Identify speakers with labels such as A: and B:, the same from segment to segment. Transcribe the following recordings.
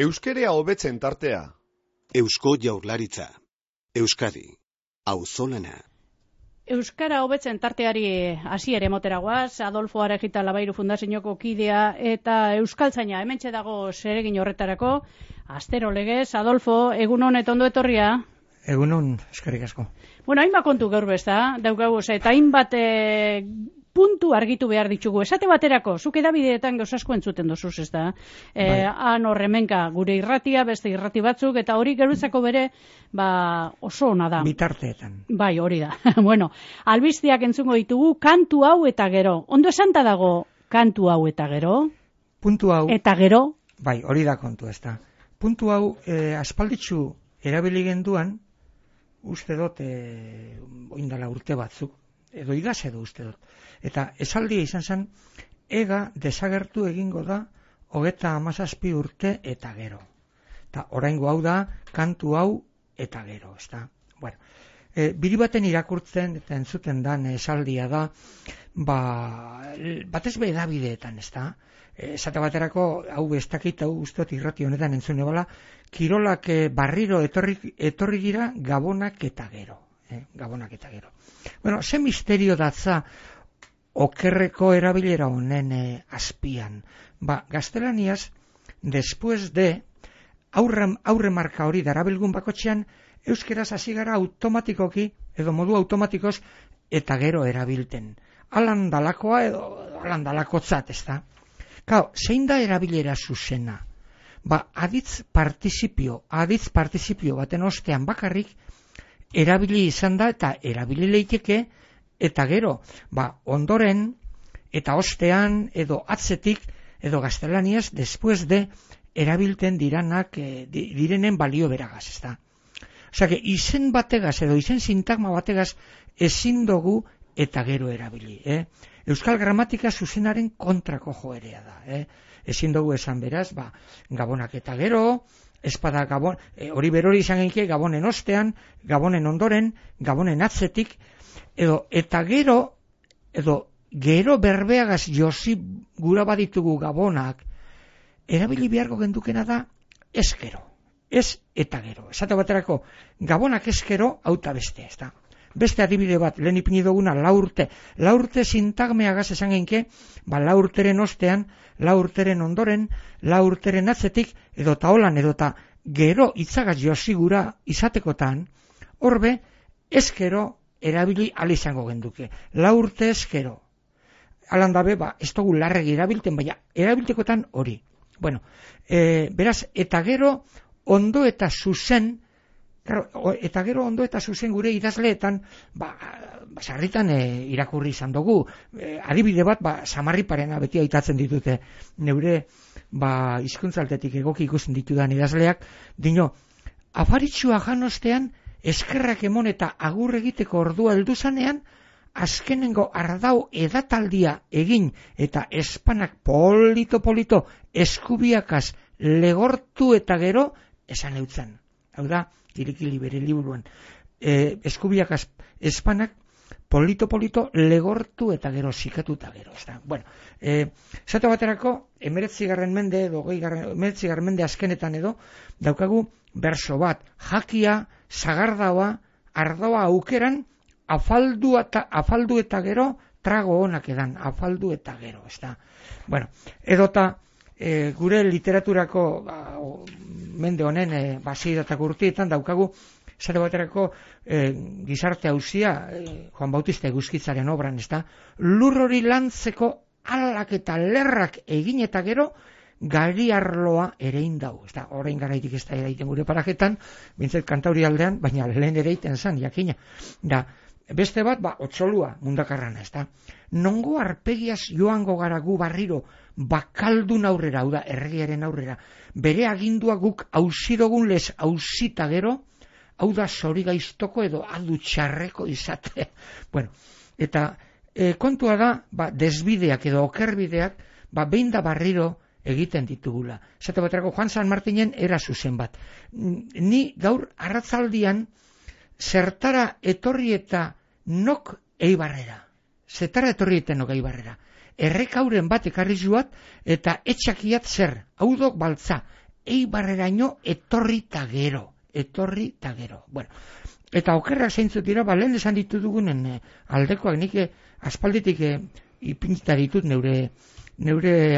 A: Euskerea hobetzen tartea.
B: Eusko Jaurlaritza. Euskadi. Auzolana.
C: Euskara hobetzen tarteari hasiere motera goaz, Adolfo Arejita Labairu Fundazioko kidea eta euskaltzaina hementxe dago zeregin horretarako. Astero legez, Adolfo, egunon eta ondo etorria?
D: Egunon, eskerrik asko.
C: Bueno, hainbat kontu gaur bezta, daukagu, eta hainbat puntu argitu behar ditugu. Esate baterako, zuk edabideetan gauz asko entzuten dozuz, ez da? Han horremenka, gure irratia, beste irrati batzuk, eta hori gerutzako bere, oso ona da.
D: Bitarteetan.
C: Bai, hori da. Bueno, albiztiak entzungo ditugu, kantu hau eta gero. Ondo esanta dago, kantu hau eta gero?
D: Puntu hau...
C: Eta gero?
D: Bai, hori da kontu, ez da. Puntu hau, aspalditzu erabili genduan, uste dut, oindala urte batzuk, edo igaz edo uste dut. Eta esaldia izan zen, ega desagertu egingo da 37 urte eta gero. Eta oraingo hau da, kantu hau eta gero, ez da. Bueno, biri baten irakurtzen eta entzuten dan esaldia da, batez be edabideetan, ez da. Esate baterako, hau ez dakit, hau uste dut irrati honetan entzune bala, kirolak barriro etorri gira gabonak eta gero. Gabonak eta gero. Bueno, ze misterio datza okerreko erabilera honen azpian. Gaztelaniaz, después de, aurre marka hori darabilgun bakotxean, euskeraz hasi gara automatikoki, edo modu automatikoz, eta gero erabilten. Alan dalakoa edo alan dalakotzat, ez da? Kao, zein da erabilera zuzena? Aditz participio baten ostean bakarrik, erabili izan da eta erabili leiteke, eta gero, ondoren, eta ostean, edo atzetik, edo gaztelaniaz, después de, erabilten direnen balio beragaz, ez da. Osea, izen bategaz, edo izen sintagma bategaz, ezin dugu eta gero erabili. Euskal gramatika zuzenaren kontrako joerea da. Ezin dugu esan beraz, gabonak eta gero, espada gabon, hori berori izan genike, gabonen ostean, gabonen ondoren, gabonen atzetik, edo eta gero, edo gero berbeagaz josi gura baditugu gabonak, erabili beharko gendukena da, eskero, ez eta gero. Esate baterako, gabonak eskero, auta beste, ez da. Beste adibide bat, lehen ipini duguna, laurte sintagmeagaz esan genike, laurteren ostean, laurteren ondoren, laurteren atzetik, edo taolan, edo ta gero itzagaz josigura izatekotan, horbe, eskero erabili alizango genduke. Laurte eskero. Alandabe, ez dugu larregi erabilten, baina erabiltekotan hori. Bueno, beraz, eta gero ondo eta zuzen, eta gero ondo eta zuzen gure idazleetan, sarritan irakurri izan dugu. Adibide bat, Samarriparena beti aitatzen ditute neure hizkuntzaltetik egoki ikusten ditudan idazleak, dino, afaritxua janostean, eskerrak emon eta agur egiteko ordua heldu zanean, azkenengo ardau edataldia egin eta espanak polito eskubiakaz legortu eta gero esan eutzen. Hau da, Kirikili bere liburuan, eskubiakaz espanak polito legortu eta gero zikatu eta gero. Bueno, zato baterako, 19. mende edo 19. mende azkenetan edo, daukagu berso bat, jakia, zagardaua, ardoa aukeran, afaldu eta gero, trago honak edan, afaldu eta gero, ez da. Bueno, edota, gure literaturako mende honen basiratak urtietan daukagu, zare baterako gizarte hauzia, Juan Bautista Eguzkitzaren obran, ez da, lur hori lantzeko alak eta lerrak egin eta gero, gari arloa erein dau. Ez da, orain garaitik ez da eraiten gure parajetan, bintzet kantauri aldean, baina lehen ereiten zan, jakina. Da, beste bat, otxolua mundakarrana, ez da. Nongo arpegiaz joango gara gu barriro, bakaldun aurrera, hau da, erregiaren aurrera, bere agindua guk ausidogun lez ausita gero, hau da zori gaiztoko edo adu txarreko izate. Bueno, eta kontua da, desbideak edo okerbideak, behin da barriro egiten ditugula. Zate baterako, Juan San Martinen era zuzen bat. Ni gaur arratzaldian zertara etorri eta nok Eibarrera. Zertara etorri eta nok Eibarrera. Errekauren bat ekarri zuat eta etxakiat zer. Hau dok baltza. Eibarreraino etorri ta gero. Bueno, eta okerrak zeintzuk dira, lehen esan ditu dugunen aldekoak, nik aspalditik ipinita ditut neure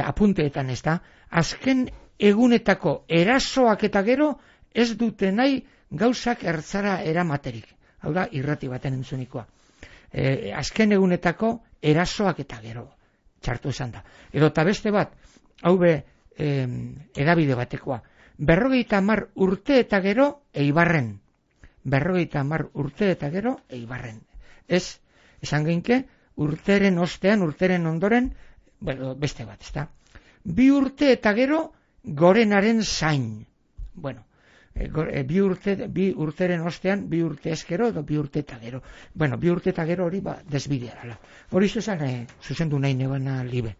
D: apunteetan, ez da, azken egunetako erasoak eta gero ez dute nahi gauzak ertzara eramaterik. Hau da, irrati baten entzunikoa. Azken egunetako erasoak eta gero, txartu esan da. Edo eta beste bat, hau edabide batekoa. 50 urte eta gero Eibarren. 50 urte eta gero Eibarren. Ez, esan geinke, urteren ostean, urteren ondoren, beste bat, ez da. 2 urte eta gero gorenaren zain. Bueno, 2 urteren ostean, 2 urte ezkero, edo 2 urte eta gero. Bueno, 2 urte eta gero hori desbidearala. Hori zuzendu nahi nebana libe.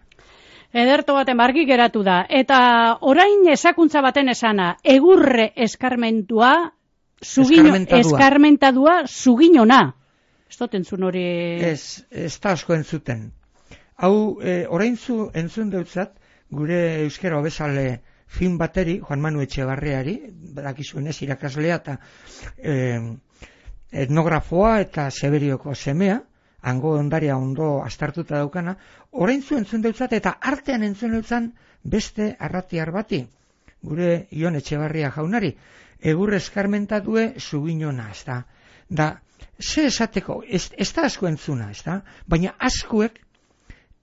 C: Ederto baten argi geratu da. Eta orain esakuntza baten esana, egurre eskarmentua, eskarmentadua, suginona. Ez dut entzun hori...
D: Ez da asko entzuten. Hau, orain entzun deutzat, gure euskera hobezale film bateri, Juan Manu Etxebarriari, badakizuenez irakaslea eta etnografoa eta Severioko semea, hango ondaria ondo astartuta daukana, orain entzun deutzat eta artean entzun deutzan beste arratiar bati, gure Ion Etxebarria jaunari, egur eskarmentatue suginona, ez da. Da, ze esateko, ez da asko entzuna, ez da, baina askuek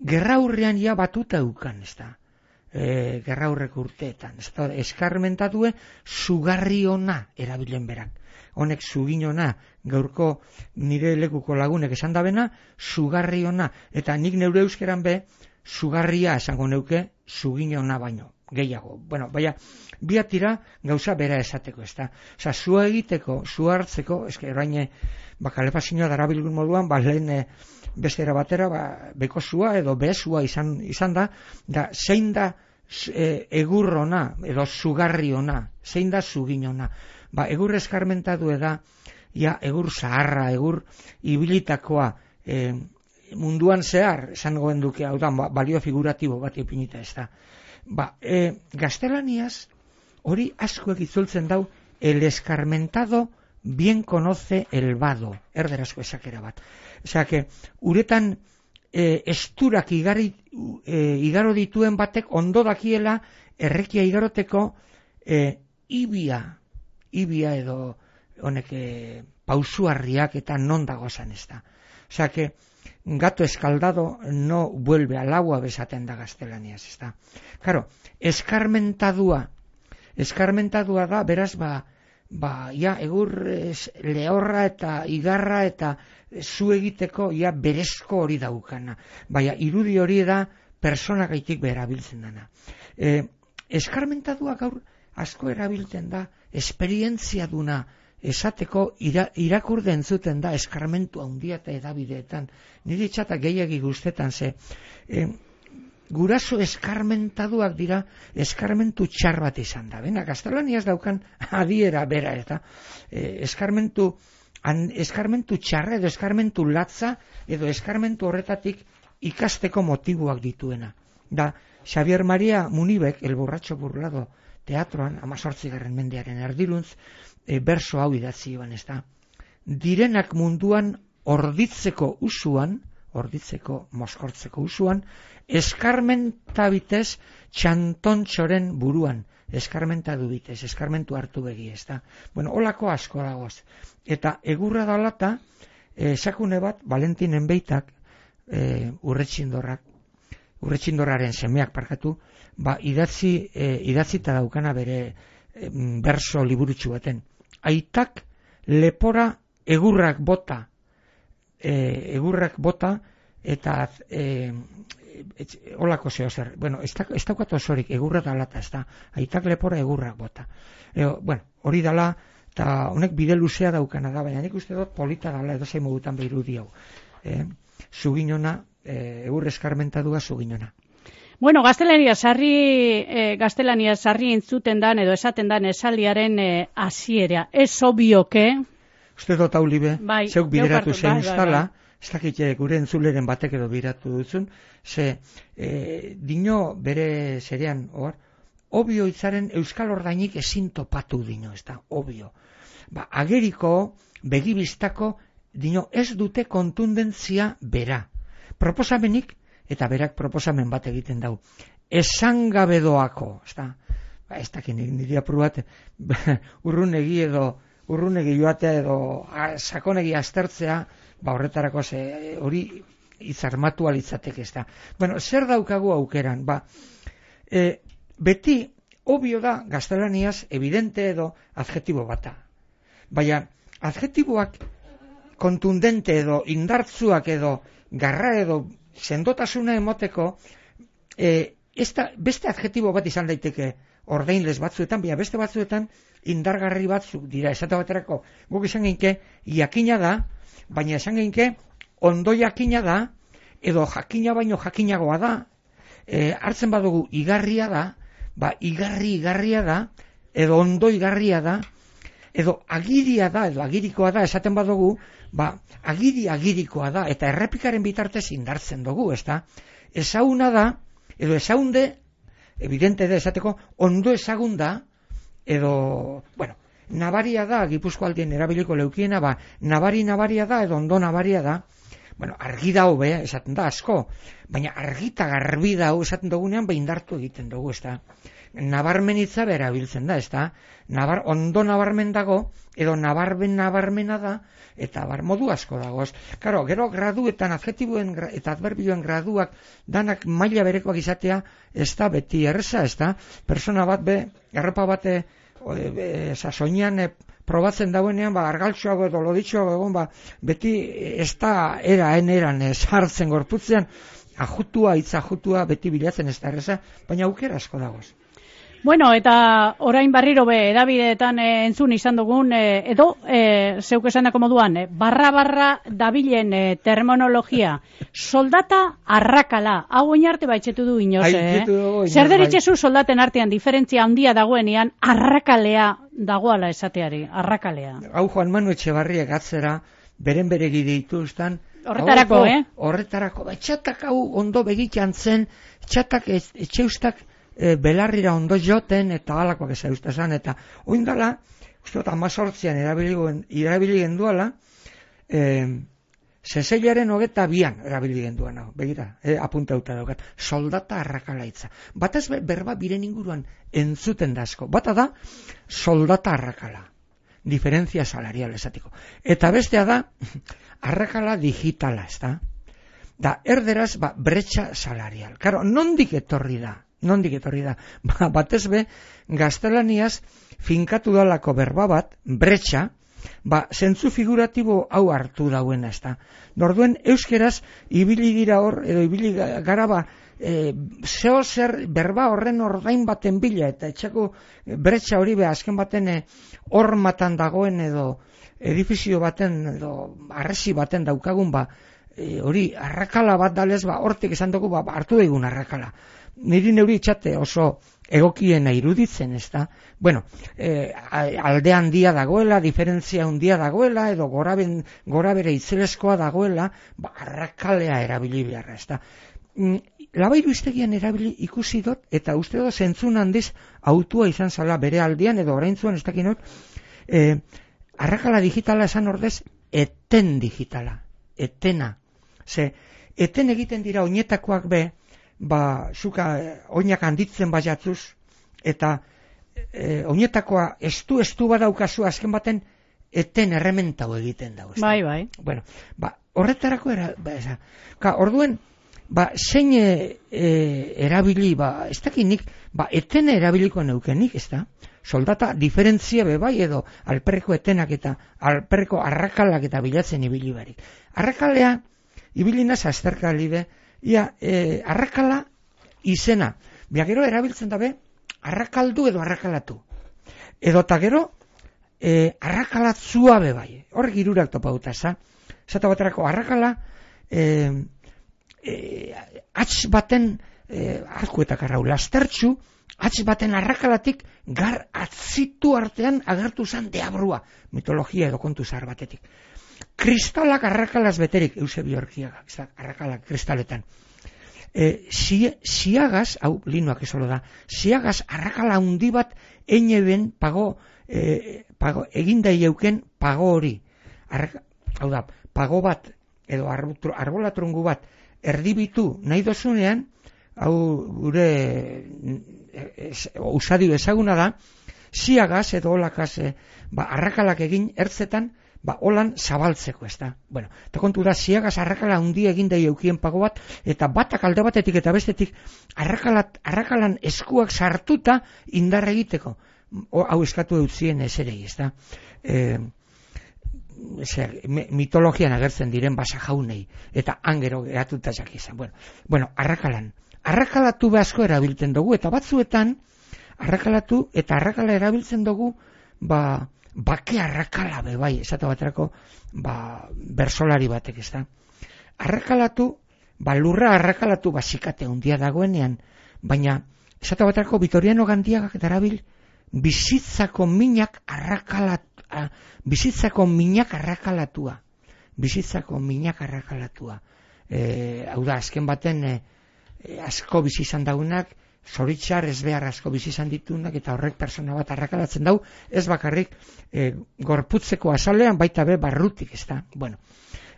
D: gerraurrean ja batuta eukan, ez da. Gerraurrek urteetan, ez da, eskarmentatue sugarriona erabilen berak. Honek suginona, gaurko nire lekuko lagunek esan dabena, sugarriona, eta nik neure euskeran sugarria esango neuke suginona baino, gehiago. Bueno, baina, biatira gauza bera esateko, ez da. Osa, sua egiteko, sua hartzeko, eske orain kalepazioa darabilgun moduan, lehen beste era batera, beko sua edo behesua izan da, zein da egurrona, edo sugarriona, zein da suginona. Egur eskarmentatu da, egur zaharra, egur ibilitakoa, munduan zehar, esan goen duke, hau da, balio figuratibo bat ipinita ez da. Gaztelaniaz, hori askoek itzultzen dau, el eskarmentado bien conoce el vado, erderazko esakera bat. Osea, que uretan esturak igaro dituen batek ondo dakiela errekia igaroteko ibia edo honek pausuarriak eta non dagozan ez da. Osea, que gato escaldado no vuelve al agua besaten da gaztelaniaz, ez da. Claro, eskarmentadua da, beraz, egur lehorra eta igarra eta zu egiteko berezko hori daukana. Baina, irudi hori da personagaitik berabiltzen dana. Eskarmentadua gaur asko erabiltzen da, esperientzia duna esateko irakurde entzuten da eskarmentu handia eta edabideetan. Nire txata gehiagi guztetan ze. Guraso eskarmentaduak dira eskarmentu txar bat izan da. Gaztelaniaz daukan adiera bera eta eskarmentu txarra edo eskarmentu latza edo eskarmentu horretatik ikasteko motiboak dituena. Da, Xavier Maria Munibek, El borratxo burlado teatroan, 18. mendearen erdiruntz, berso hau idatzi joan, ez da. Direnak munduan orditzeko moskortzeko usuan, eskarmentabitez txantontxoren buruan, eskarmentadu bitez, eskarmentu hartu begi, ez da. Bueno, holako asko dagoaz. Eta egurra dalata, sakune bat, Valentinen beitak, urretxindorraren semeak parkatu, idatzita daukana bere berso liburutxu baten. Aitak lepora egurrak bota eta holako zeo zer. Bueno, ez daukat osorik, egurra dalata, ez da. Aitak lepora egurrak bota. Bueno, hori dala, eta honek bide luzea daukana da, baina nik uste dut polita dala edo zein modutan behirudi hau. Suginona, egur eskarmentadua suginona.
C: Bueno, gaztelania sarri entzuten dan edo esaten dan esaldiaren hasiera. Ez obioke.
D: Uste dut hau libe, zeuk bideratu zein ustala, ez dakit gure entzuleren batek edo biratu duzun, ze dino bere zerean, obio hitzaren euskal ordainik ezin topatu dino, ez da, obio. Ageriko, begibistako, dino, ez dute kontundentzia bera. Proposamenik, eta berak proposamen bat egiten dau. Esangabedoako, ez da, ez dakin niri apur bat, urrunegi joatea edo sakonegi aztertzea, horretarako hori izarmatu alitzateke, ez da. Bueno, zer daukagu aukeran? Beti, obio da, gaztelaniaz, evidente edo adjetibo bata. Baina, adjetiboak kontundente edo indartzuak edo garra edo sendotasuna emoteko, beste adjetibo bat izan daiteke ordainles batzuetan, baina beste batzuetan indargarri batzuk dira. Esate baterako, guk izan geinke, jakina da, baina esan geinke, ondo jakina da, edo jakina baino jakinagoa da, hartzen badugu igarria da, igarria da, edo ondo igarria da, edo agiria da, edo agirikoa da, esaten badugu, agirikoa da, eta errepikaren bitartez indartzen dugu, ez da? Ezauna da, edo ezaunde, evidente da, esateko, ondo ezagunda, edo, bueno, nabaria da, Gipuzkoaldien erabiliko leukiena, nabaria da, edo ondo nabaria da, bueno, argi da hobe, esaten da, asko, baina argita garbi da, esaten dugunean, indartu egiten dugu, ez da? Nabarmenitza berabiltzen da, ez da? Ondo nabarmen dago, edo nabarmena da, eta modu asko dago. Karo, gero graduetan, adjetibuen eta adverbioen graduak danak maila berekoak izatea, ez da beti erreza, ez da? Persona bat erropa bate soinean probatzen dauenean, argaltxoago edo loditxoago egon, beti ez da eran sartzen gorputzean, hitz ajutua beti bilatzen ez da erreza, baina aukera asko dagoz.
C: Bueno, eta orain barriro edabideetan entzun izan dugun, edo zeuk esanako moduan, barra dabilen terminologia, soldata arrakala, hau oinarte baitxetu du inoz, Zer deritzezu soldaten artean diferentzia handia dagoenean, arrakalea dagoala esateari, arrakalea.
D: Hau Juan Manu Etxebarriak atzera, bere ditu ustan,
C: horretarako,
D: Horretarako, txatak hau ondo begitan zen, txatak etxeustak belarrira ondo joten eta alakoak ez eustazan, eta oindala, uste 18an erabili genduala, zezeilaren 22an erabili genduan, begira, apuntauta daukat, soldata arrakalaitza. Batez berba biren inguruan entzuten da asko, bata da soldata arrakala, diferentzia salarial esatiko. Eta bestea da, arrakala digitala, ez da? Da, erderaz, bretxa salarial. Karo, nondik etorri da? Batez gaztelaniaz finkatu dalako berba bat, bretxa, zentzu figuratibo hau hartu dauena, ez da. Norduen, euskeraz, ibili dira hor, edo ibili gara zeo zer berba horren ordain baten bila, eta etxako bretxa hori azken baten hormatan dagoen edo edifizio baten, edo arresi baten daukagun, hori arrakala bat dalez, hortik esan dugu, hartu daigun arrakala. Niri neuri txate oso egokiena iruditzen, ez da? Bueno, alde handia dagoela, diferentzia handia dagoela, edo gora bere itzelezkoa dagoela, arrakalea erabili beharra, ez da? Labairu iztegian erabili ikusi dut, eta uste dut zentzun handiz autua izan zala bere aldian, edo oraintzuan ez dakinot, arrakala digitala esan ordez, eten digitala, etena. Eten egiten dira oinetakoak zuka oinak handitzen jatzuz, eta oinetakoa estu badaukazu azken baten eten errementau egiten dago.
C: Bai.
D: Bueno, horretarako orduen, zein erabili, ez dakinik, eten erabiliko neukenik, ez da? Soldata diferentzia bai edo alperreko etenak eta alperreko arrakalak eta bilatzen ibili barik. Arrakalea, ibilinaz azterkali arrakala izena. Gero erabiltzen dabe, arrakaldu edo arrakalatu. Edo eta gero, arrakalatzua bai. Horrek hirurak topauta, zata baterako arrakala, atx baten, arkuetak arrau, lastertxu, atx baten arrakalatik gar atzitu artean agertu zan deabrua, mitologia edo kontu zahar batetik. Kristalak arrakalaz beterik, Eusebio Orkiaga, arrakalak kristaletan. Ziagaz, hau linoak esolo da, ziagaz arrakala handi bat eineben pago egindai euken pago hori. Hau da, pago bat edo arbolatrungu bat erdibitu nahi dozunean, hau gure usadio ezaguna da, ziagaz edo olakaz arrakalak egin ertzetan, holan zabaltzeko, ez da. Bueno, eta kontu da, ziagaz arrakala handi egin daio eukien pago bat, eta batak alde batetik eta bestetik arrakalan eskuak sartuta indar egiteko. Hau eskatu eutzien eserei, ez da. Mitologian agertzen diren basa jaunei, eta angero geratuta jakizan. Bueno, arrakalatu asko erabiltzen dugu, eta batzuetan arrakalatu eta arrakala erabiltzen dugu, bake arrakala bai, esate baterako bersolari batek, ez da. Arrakalatu, lurra arrakalatu basikate handia dagoenean, baina esate baterako Vitoriano Gandiagak darabil bizitzako minak arrakalatua. Hau da, azken baten asko bizi izan daunak, zoritxar ez behar asko bizi izan ditunak, eta horrek persona bat arrakalatzen dau, ez bakarrik gorputzeko azalean, baita be barrutik, ez da. Bueno,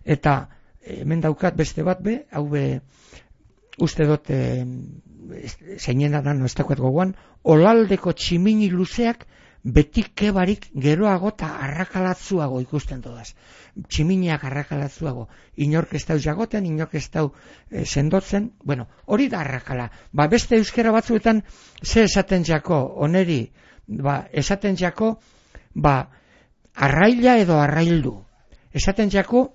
D: eta hemen daukat beste bat be, hau be, uste dut zeinena da, no ez dakuet gogoan, olaldeko tximini luzeak beti kebarik geroago eta arrakalatzuago ikusten dodaz. Tximiniak arrakalatzuago. Inork ez dau jagoten, inork ez dau sendotzen. Bueno, hori da arrakala. Beste euskera batzuetan ze esaten jako, oneri, esaten jako, arraila edo arraildu. Esaten jako,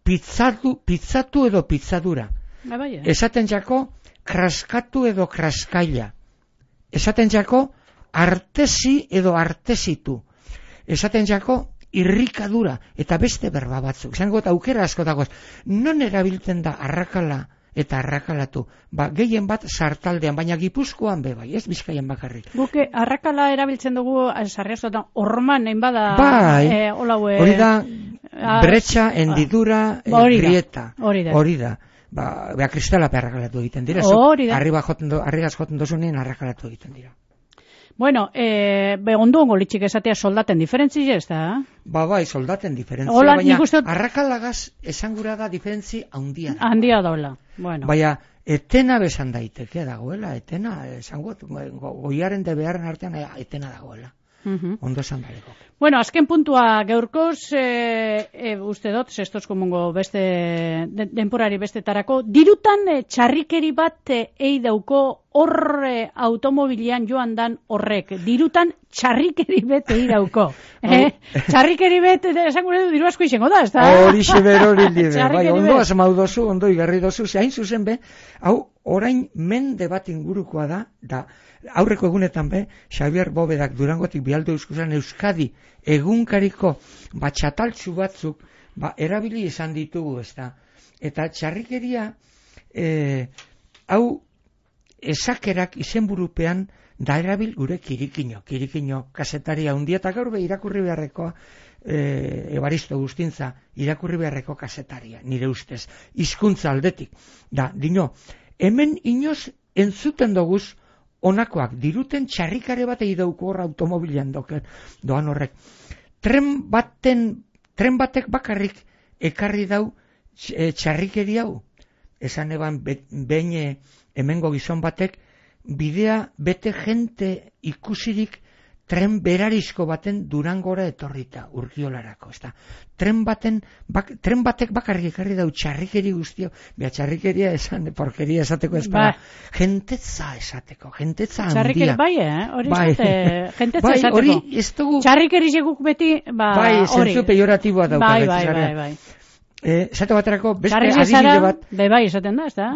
D: pizzatu edo pizzadura. Esaten jako, kraskatu edo kraskaila. Esaten jako, artesi edo artesitu. Esaten jako, irrikadura, eta beste berba batzuk. Zango eta aukera asko dagoz. Non erabiltzen da arrakala eta arrakalatu? Gehien bat sartaldean, baina Gipuzkoan be bai, ez Bizkaian bakarrik.
C: Guke arrakala erabiltzen dugu, sarriazotan, orman nahin bada...
D: Hori da, bretxa, hendidura, grieta. Hori da. Kristalape arrakalatu egiten dira. Arrigaz joten dozunean arrakalatu egiten dira.
C: Bueno, ondo ongo litxik esatea soldaten diferentzi ez da?
D: Bai, soldaten diferentzi, baina arrakalagaz esangura da diferentzi handia da.
C: Handia daula, bueno.
D: Baina, etena besan daiteke dagoela, etena, esangot, goiaren de beharren artean etena dagoela. Ondo esan badeko.
C: Bueno, azken puntua gaurkoz, uste dut, zestos komungo beste denporari bestetarako, dirutan txarrikeri bat eidauko hor automobilian joan dan horrek. Dirutan txarrikeri bet eidauko. Txarrikeri bet, esan gure du, diru asko izango da, ez da?
D: Horixe hori libe, bai, ondo asmau dozu, ondo igarri dozu, hain zuzen be, hau, orain mende bat ingurukoa da, aurreko egunetan be, Xavier Bobedak Durangotik bialdu euskuzan Euskadi egunkariko txataltzu batzuk erabili izan ditugu, ez da. Eta txarrikeria hau esakerak izenburupean da erabil gure kirikino kasetaria handia, eta gaur be irakurri beharrekoa Evaristo Gustintza irakurri beharreko kasetaria, nire ustez, hizkuntza aldetik. Dino, hemen inoz entzuten doguz onakoak, diruten txarrikare bat eidauko hor automobilian doan horrek. Tren batek bakarrik ekarri dau txarrikeri hau. Esan eban behin hemengo gizon batek bidea bete jente ikusirik tren berarizko baten Durangora etorrita, Urkiolarako, ez da. Tren batek bakarrik ekarri dau txarrikeri guztio, txarrikeria esan, porkeria esateko ez para, jentetza esateko, jentetza handia.
C: Txarrikeri hori jentetza esateko.
D: Hori ez dugu...
C: Txarrikeri seguk beti,
D: hori. Zentzu pejoratiboa dauka.
C: Bai.
D: Esate baterako, beste adibide bat...
C: Bai, esaten da, ez da?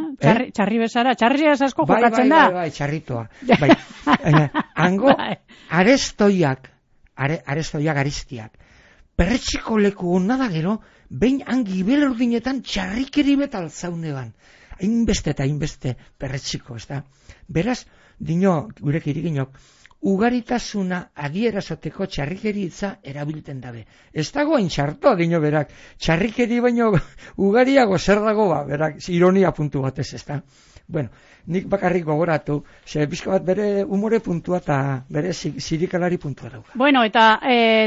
C: Txarri bezara, txarri asko jokatzen da.
D: Bai, txarritoa. Hango, arestoiak ariztiak, perretxiko leku hona da gero, behin hangi belerdinetan txarrikeri bet altzaune ban. Hainbeste perretxiko, ez da? Beraz, dino, gure kiriginok, ugaritasuna adierazoteko txarrikeri hitza erabilten dabe. Ez dago hain txarto, dino berak, txarrikeri baino ugariago zer dago berak, ironia puntu batez, ez da? Bueno, nik bakarrik gogoratu, ze bizka bat bere umore puntua eta bere zirikalari puntua dauka.
C: Bueno, eta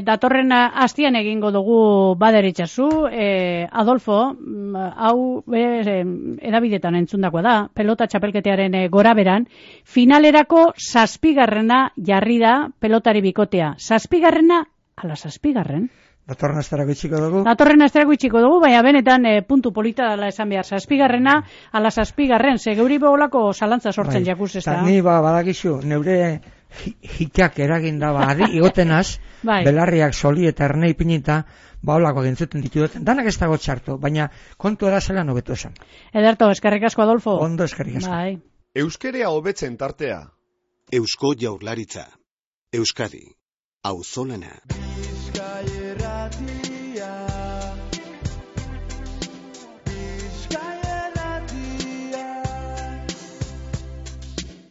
C: datorren astian egingo dugu baderitzazu, Adolfo, hau edabidetan entzundakoa da, pelota txapelketearen goraberan, finalerako 7. jarri da pelotari bikotea. 7. ala 7.
D: Datorren astarako itxiko dugu?
C: Datorren astarako itxiko dugu, baina benetan puntu polita dela esan behar. 7. ala 7. Ze geuri begolako zalantza sortzen jakuz ez da.
D: Eta ni badakizu, neure hitak eraginda adi igotenaz, belarriak soli eta erne ipinita, olako gintzuten ditu duten. Danak ez dago txarto, baina kontu edazela nobetu esan.
C: Ederto, eskerrik asko, Adolfo.
D: Ondo, eskerrik asko.
C: Bai.
A: Euskerea hobetzen tartea.
B: Eusko Jaurlaritza. Euskadi. Auzolana.